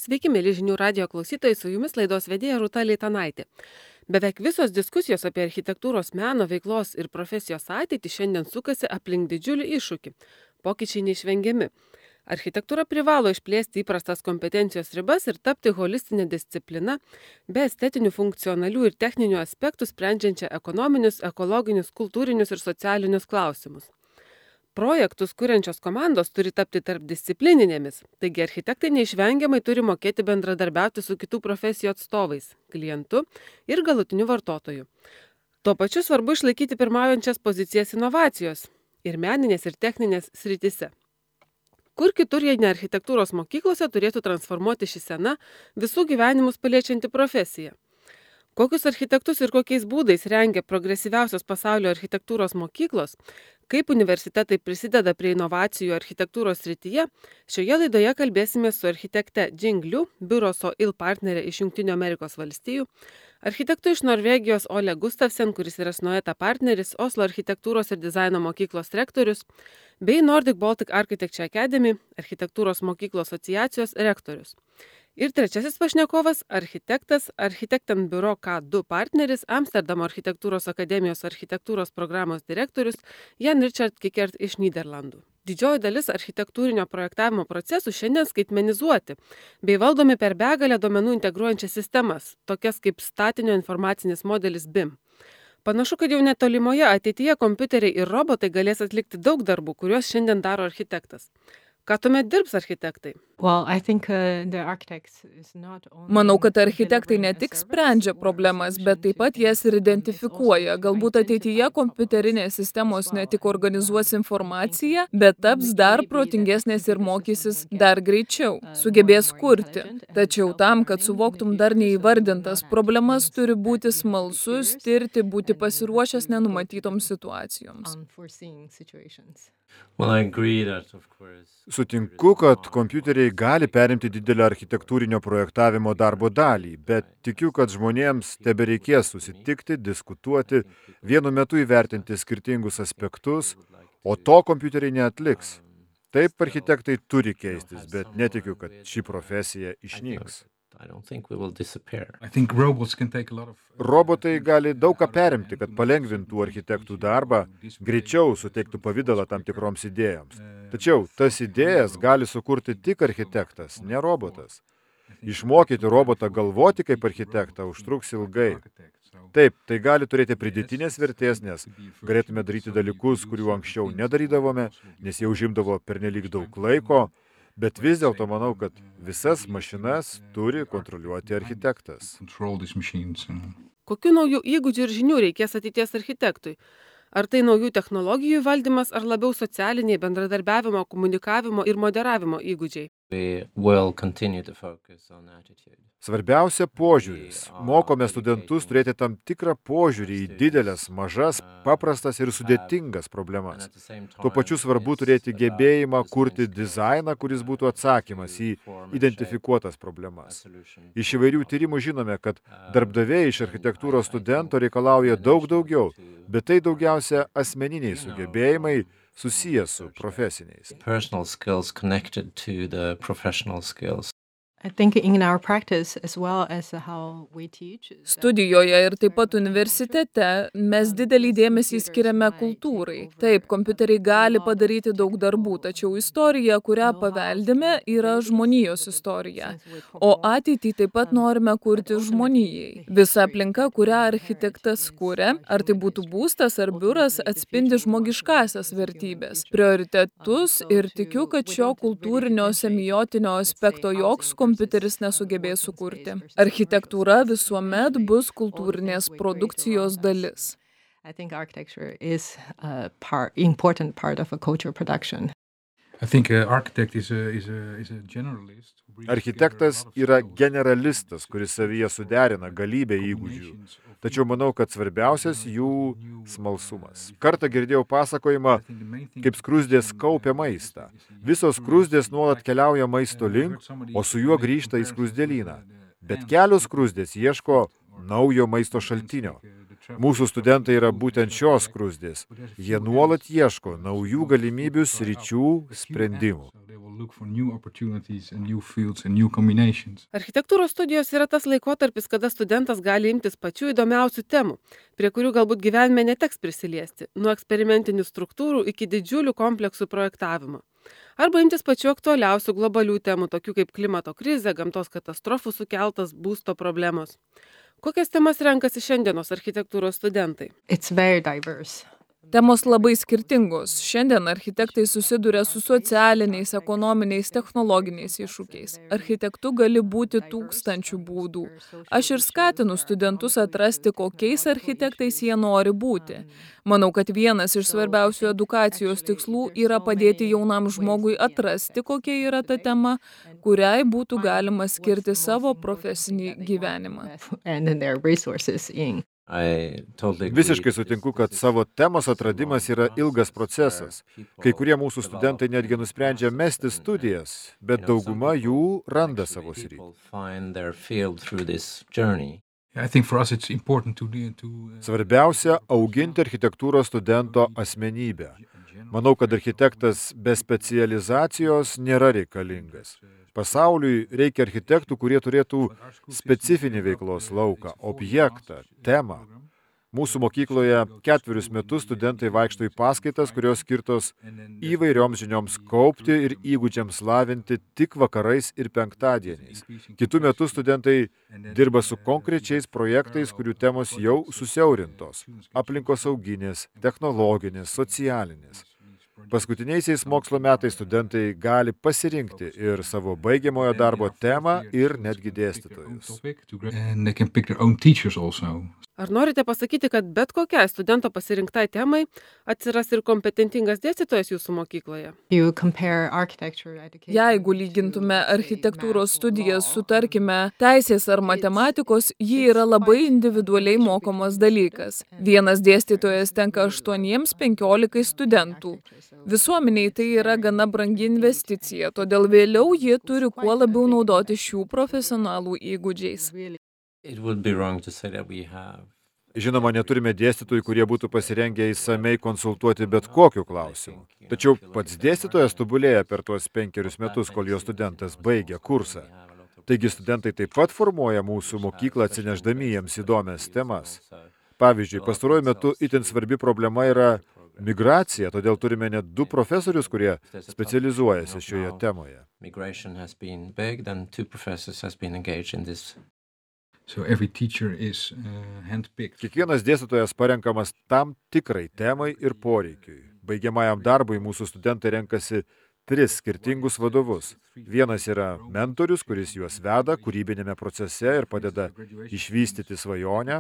Sveiki, mėly žinių radijo klausytojai, su jumis laidos vedėja Rūta Leitanaitė. Beveik visos diskusijos apie architektūros meno veiklos ir profesijos ateitį šiandien sukasi aplink didžiulį iššūkį. Pokyčiai neišvengiami. Architektūra privalo išplėsti įprastas kompetencijos ribas ir tapti holistinė disciplina, be estetinių, funkcionalių ir techninių aspektų sprendžiančią ekonominius, ekologinius, kultūrinius ir socialinius klausimus. Projektus kuriančios komandos turi tapti tarpdisciplininėmis, taigi architektai neišvengiamai turi mokėti bendradarbiauti su kitų profesijų atstovais, klientu ir galutiniu vartotoju. Tuo pačiu svarbu išlaikyti pirmaujančias pozicijas inovacijos ir meninės ir techninės srityse. Kur kitur, jei ne architektūros mokyklose, turėtų transformuoti ši sena visų gyvenimus paliečianti profesija. Kokius architektus ir kokiais būdais rengia progresyviausios pasaulio architektūros mokyklos, kaip universitetai prisideda prie inovacijų architektūros srityje, šioje laidoje kalbėsime su architekte Jing Liu, biuro SOIL partnerė iš Jungtinių Amerikos valstijų, architektu iš Norvegijos Ole Gustavsen, kuris yra Snoeta partneris, Oslo architektūros ir dizaino mokyklos rektorius, bei Nordic Baltic Architecture Academy, architektūros mokyklų asociacijos rektorius. Ir trečiasis pašnekovas – architektas, Architekten biuro K2 partneris, Amsterdamo architektūros akademijos architektūros programos direktorius Jan Richard Kikert iš Nyderlandų. Didžioji dalis architektūrinio projektavimo procesų šiandien skaitmenizuoti, bei valdomi per begalę duomenų integruojančias sistemas, tokias kaip statinio informacinis modelis BIM. Panašu, kad jau netolimoje ateityje kompiuteriai ir robotai galės atlikti daug darbų, kuriuos šiandien daro architektas. Ką tuomet dirbs architektai? Manau, kad architektai ne tik sprendžia problemas, bet taip pat jas ir identifikuoja. Galbūt ateityje kompiuterinės sistemos ne tik organizuos informaciją, bet taps dar protingesnės ir mokysis dar greičiau, sugebės kurti. Tačiau tam, kad suvoktum dar neįvardintas problemas, turi būti smalsus, tirti, būti pasiruošęs nenumatytoms situacijoms. Sutinku, kad kompiuteriai gali perimti didelę architektūrinio projektavimo darbo dalį, bet tikiu, kad žmonėms tebereikės susitikti, diskutuoti, vienu metu įvertinti skirtingus aspektus, o to kompiuteriai neatliks. Taip architektai turi keistis, bet netikiu, kad ši profesija išnyks. Robotai gali daug ką perimti, kad palengvintų architektų darbą, greičiau suteiktų pavidalą tam tikroms idėjoms. Tačiau tas idėjas gali sukurti tik architektas, ne robotas. Išmokyti robotą galvoti kaip architektą užtruks ilgai. Taip, tai gali turėti pridėtinės vertės, nes galėtume daryti dalykus, kurių anksčiau nedarydavome, nes jie užimdavo pernelyg daug laiko, bet vis dėlto manau, kad visas mašinas turi kontroliuoti architektas. Kokių naujų įgūdžių ir žinių reikės ateities architektui? Ar tai naujų technologijų valdymas, ar labiau socialiniai bendradarbiavimo, komunikavimo ir moderavimo įgūdžiai? Svarbiausia požiūris. Mokome studentus turėti tam tikrą požiūrį į didelės, mažas, paprastas ir sudėtingas problemas. Tuo pačiu svarbu turėti gebėjimą kurti dizainą, kuris būtų atsakymas į identifikuotas problemas. Iš įvairių tyrimų žinome, kad darbdaviai iš architektūros studento reikalauja daug daugiau, bet tai daugiausia asmeniniai sugebėjimai susiję su profesiniais. Studijoje ir taip pat universitete mes didelį dėmesį skiriame kultūrai. Taip, kompiuteriai gali padaryti daug darbų, tačiau istorija, kurią paveldime, yra žmonijos istorija. O ateitį taip pat norime kurti žmonijai. Visa aplinka, kurią architektas kuria, ar tai būtų būstas ar biuras, atspindi žmogiškasias vertybės, prioritetus ir tikiu, kad šio kultūrinio semiotinio aspekto joks kompiuteris nesugebės sukurti. Architektūra visuomet bus kultūrinės produkcijos dalis. Architektas yra generalistas, kuris savyje suderina galybę įgūdžių. Tačiau manau, kad svarbiausias jų smalsumas. Kartą girdėjau pasakojimą, kaip skruzdės kaupia maistą. Visos skruzdės nuolat keliauja maisto link, o su juo grįžta į skruzdėlyną. Bet kelios skruzdės ieško naujo maisto šaltinio. Mūsų studentai yra būtent šios skruzdės. Jie nuolat ieško naujų galimybių, sričių, sprendimų. Architektūros studijos yra tas laikotarpis, kada studentas gali imtis pačių įdomiausių temų, prie kurių galbūt gyvenime neteks prisiliesti, nuo eksperimentinių struktūrų iki didžiulių kompleksų projektavimo. Arba imtis pačių aktualiausių globalių temų, tokių kaip klimato krizė, gamtos katastrofų sukeltas būsto problemos. Kokias temas renkasi šiandienos architektūros studentai? Temos labai skirtingos. Šiandien architektai susiduria su socialiniais, ekonominiais, technologiniais iššūkiais. Architektu gali būti tūkstančių būdų. Aš ir skatinu studentus atrasti, kokiais architektais jie nori būti. Manau, kad vienas iš svarbiausių edukacijos tikslų yra padėti jaunam žmogui atrasti, kokia yra ta tema, kuriai būtų galima skirti savo profesinį gyvenimą. Visiškai sutinku, kad savo temos atradimas yra ilgas procesas. Kai kurie mūsų studentai netgi nusprendžia mesti studijas, bet dauguma jų randa savo sritį. Svarbiausia – auginti architektūros studento asmenybę. Manau, kad architektas be specializacijos nėra reikalingas. Pasauliui reikia architektų, kurie turėtų specifinį veiklos lauką, objektą, temą. Mūsų mokykloje 4 metus studentai vaikšto į paskaitas, kurios skirtos įvairioms žinioms kaupti ir įgūdžiams lavinti tik vakarais ir penktadieniais. Kitų metų studentai dirba su konkrečiais projektais, kurių temos jau susiaurintos – aplinkosauginės, technologinės, socialinės. Paskutiniaisiais mokslo metais studentai gali pasirinkti ir savo baigiamojo darbo temą ir netgi dėstytojus. Ar norite pasakyti, kad bet kokiai studento pasirinktai temai atsiras ir kompetentingas dėstytojas jūsų mokykloje? Jeigu lygintume architektūros studijas su, tarkime, teisės ar matematikos, ji yra labai individualiai mokomas dalykas. Vienas dėstytojas tenka 8-15 studentų. Visuomeniai tai yra gana brangi investicija, todėl vėliau ji turi kuo labiau naudoti šių profesionalų įgūdžiais. Žinoma, neturime dėstytojų, kurie būtų pasirengę įsamei konsultuoti bet kokiu klausimu. Tačiau pats dėstytojas tobulėja per tuos 5 metus, kol jo studentas baigia kursą. Taigi studentai taip pat formuoja mūsų mokyklą, atsineždami jiems įdomias temas. Pavyzdžiui, pastaruoju metu itin svarbi problema yra migracija, todėl turime net 2 profesorius, kurie specializuojasi šioje temoje. Kiekvienas dėstytojas parenkamas tam tikrai temai ir poreikiui. Baigiamajam darbui mūsų studentai renkasi 3 skirtingus vadovus. Vienas yra mentorius, kuris juos veda kūrybinėme procese ir padeda išvystyti svajonę.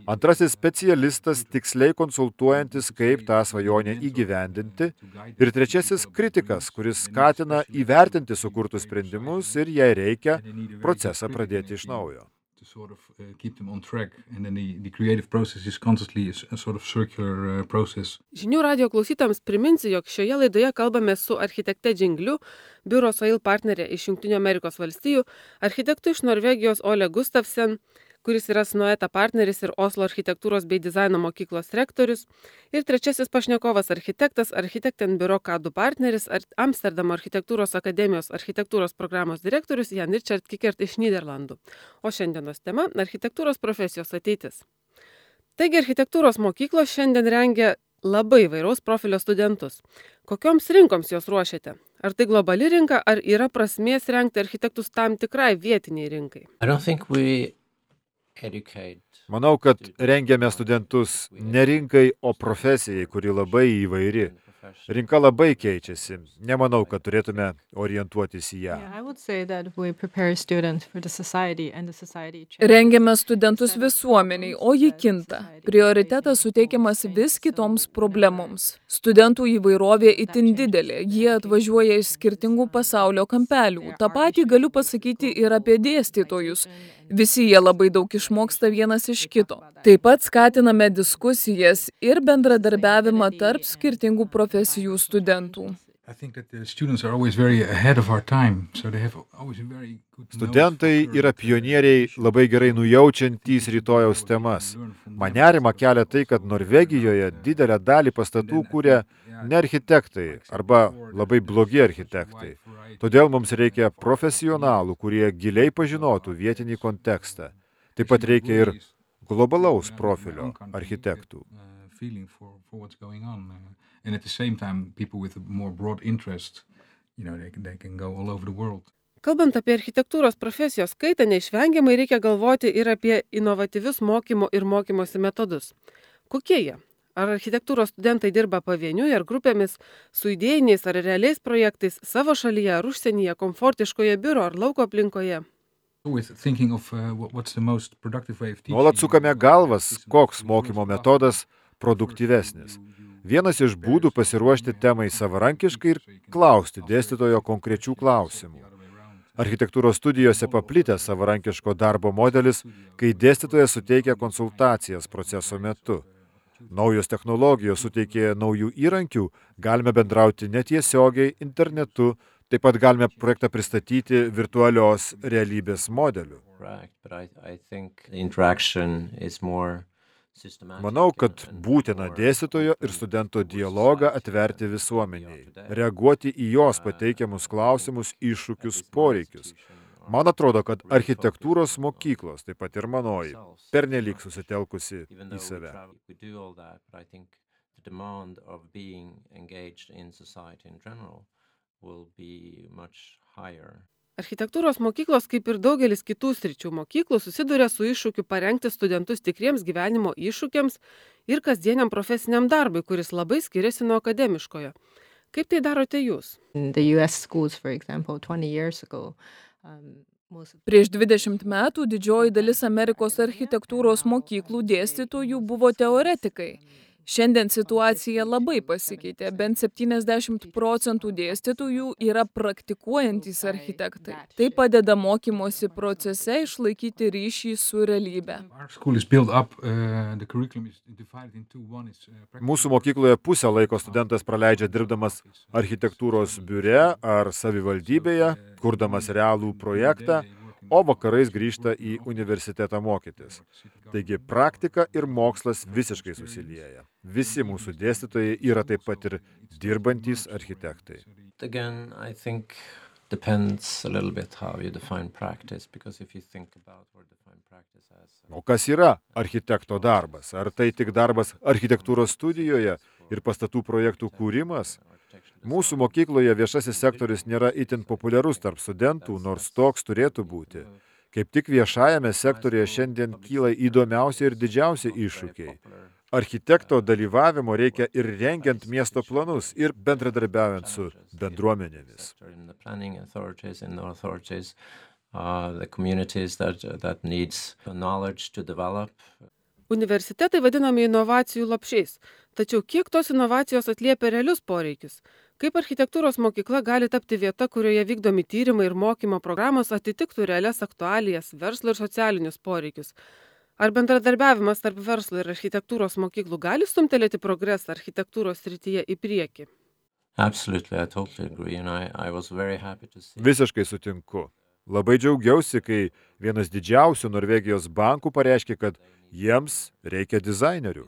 Antrasis specialistas tiksliai konsultuojantis, kaip tą svajonę įgyvendinti. Ir trečiasis kritikas, kuris skatina įvertinti sukurtus sprendimus ir, jei reikia, procesą pradėti iš naujo. Žinių radijo klausytojams priminsiu, jog šioje laidoje kalbame su architekte Džingliu, biuro Soil partnerė iš Jungtinių Amerikos valstijų, architektu iš Norvegijos Ole Gustafsen, kuris yra Snoeta partneris ir Oslo architektūros bei dizaino mokyklos rektorius, ir trečiasis pašnekovas architektas, Architekten biuro K2 partneris, Amsterdamo architektūros akademijos architektūros programos direktorius Jan Richard Kikert iš Nyderlandų. O šiandienos tema – architektūros profesijos ateitis. Taigi architektūros mokyklos šiandien rengia labai įvairaus profilio studentus. Kokioms rinkoms jos ruošiate? Ar tai globali rinka, ar yra prasmės rengti architektus tam tikrai vietiniai rinkai? Manau, kad rengiame studentus ne rinkai, o profesijai, kuri labai įvairi. Rinka labai keičiasi. Nemanau, kad turėtume orientuotis į ją. Rengiame studentus visuomeniai, o ji kinta. Prioritetas suteikiamas vis kitoms problemoms. Studentų įvairovė itin didelė, jie atvažiuoja iš skirtingų pasaulio kampelių. Ta patį galiu pasakyti ir apie dėstytojus. Visi jie labai daug išmoksta vienas iš kito. Taip pat skatiname diskusijas ir bendradarbiavimą tarp skirtingų profesijų studentų. Studentai yra pionieriai, labai gerai nujaučiantys rytojaus temas. Man nerimą kelia tai, kad Norvegijoje didelę dalį pastatų kūrė ne architektai arba labai blogi architektai. Todėl mums reikia profesionalų, kurie giliai pažinotų vietinį kontekstą. Taip pat reikia ir globalaus profilio architektų. And at the same time, people with a more broad interest, they can go all over the world. Kalbant apie architektūros profesijos kaitą, neišvengiamai reikia galvoti ir apie inovatyvius mokymo ir mokymosi metodus. Kokie jie? Ar architektūros studentai dirba pavieniui ar grupėmis, su idėjiniais ar realiais projektais savo šalyje ar užsienyje, komfortiškoje biuro ar lauko aplinkoje? Nuolat sukame galvas, koks mokymo metodas produktyvesnis. Vienas iš būdų pasiruošti temai savarankiškai ir klausti dėstytojo konkrečių klausimų. Architektūros studijose paplitęs savarankiško darbo modelis, kai dėstytojas suteikia konsultacijas proceso metu. Naujos technologijos suteikė naujų įrankių, galime bendrauti netiesiogiai internetu, taip pat galime projektą pristatyti virtualios realybės modeliu. Manau, kad būtina dėstytojo ir studento dialogą atverti visuomeniai, reaguoti į jos pateikiamus klausimus, iššūkius, poreikius. Man atrodo, kad architektūros mokyklos, taip pat ir manoji, pernelyg susitelkusi į save. Architektūros mokyklos, kaip ir daugelis kitų sričių mokyklų, susiduria su iššūkiu parengti studentus tikriems gyvenimo iššūkiams ir kasdieniam profesiniam darbui, kuris labai skiriasi nuo akademiškojo. Kaip tai darote jūs? Prieš 20 metų didžioji dalis Amerikos architektūros mokyklų dėstytojų buvo teoretikai. Šiandien situacija labai pasikeitė, bent 70% dėstytojų yra praktikuojantys architektai. Tai padeda mokymosi procese išlaikyti ryšį su realybe. Mūsų mokykloje pusę laiko studentas praleidžia dirbdamas architektūros biure ar savivaldybėje, kurdamas realų projektą, o vakarais grįžta į universitetą mokytis. Taigi praktika ir mokslas visiškai susilieja. Visi mūsų dėstytojai yra taip pat ir dirbantys architektai. O kas yra architekto darbas? Ar tai tik darbas architektūros studijoje ir pastatų projektų kūrimas? Mūsų mokykloje viešasis sektorius nėra itin populiarus tarp studentų, nors toks turėtų būti. Kaip tik viešajame sektoriuje šiandien kyla įdomiausi ir didžiausi iššūkiai. Architekto dalyvavimo reikia ir rengiant miesto planus, ir bendradarbiaujant su bendruomenėmis. Universitetai vadinami inovacijų lopšiais. Tačiau kiek tos inovacijos atliepia realius poreikius? Kaip architektūros mokykla gali tapti vieta, kurioje vykdomi tyrimai ir mokymo programos atitiktų realias aktualijas, verslo ir socialinius poreikius? Ar bendradarbiavimas tarp verslo ir architektūros mokyklų gali stumtelėti progresą architektūros srityje į priekį? Visiškai sutinku. Labai džiaugiausi, kai vienas didžiausių Norvegijos bankų pareiškė, kad jiems reikia dizainerių.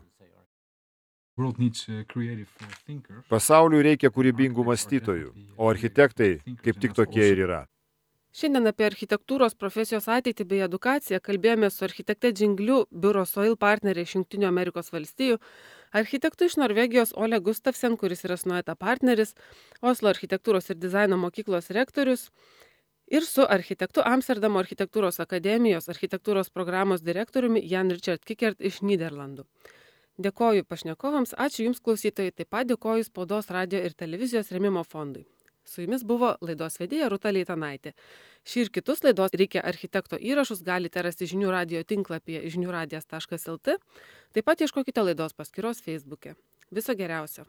Pasauliui reikia kūrybingų mąstytojų, o architektai kaip tik tokie ir yra. Šiandien apie architektūros profesijos ateitį bei edukaciją kalbėjome su architekte Džingliu biuro Soil partneriai iš Jungtinių Amerikos valstijų, architektu iš Norvegijos Ole Gustafsen, kuris yra Snueta partneris, Oslo architektūros ir dizaino mokyklos rektorius, ir su architektu Amsterdamo architektūros akademijos architektūros programos direktoriumi Jan Richard Kickert iš Nyderlandų. Dėkoju pašnekovams, ačiū Jums klausytojai, taip pat dėkoju Spaudos, radijo ir televizijos rėmimo fondui. Su Jumis buvo laidos vedėja Rūta Leitanaitė. Šį ir kitus laidos Reikia architekto įrašus galite rasti žinių radijo tinklapyje žiniųradijas.lt, taip pat ieškokite laidos paskyros Facebook'e. Viso geriausio.